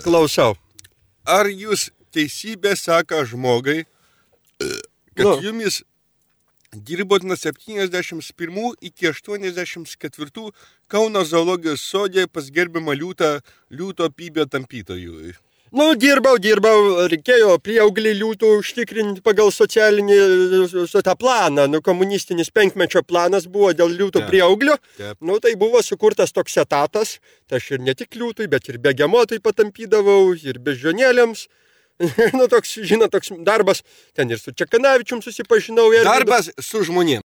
Klausau. Ar jūs teisybė saka žmogai, kad jumis dirbot nuo 71 iki 84 Kauno zoologijos sodė pas gerbiamą liūto pybio tampytojų? Dirbau, reikėjo prieauglį liūtų užtikrinti pagal socialinį tą planą. Komunistinis 5-mečio planas buvo dėl liūtų prieauglio. Tai buvo sukurtas toks etatas. Tai aš ir ne tik liūtui, bet ir begemotui patampydavau, ir beždžionėlėms. Toks darbas. Ten ir su Čekanavičium susipažinau. Darbas su žmonėm.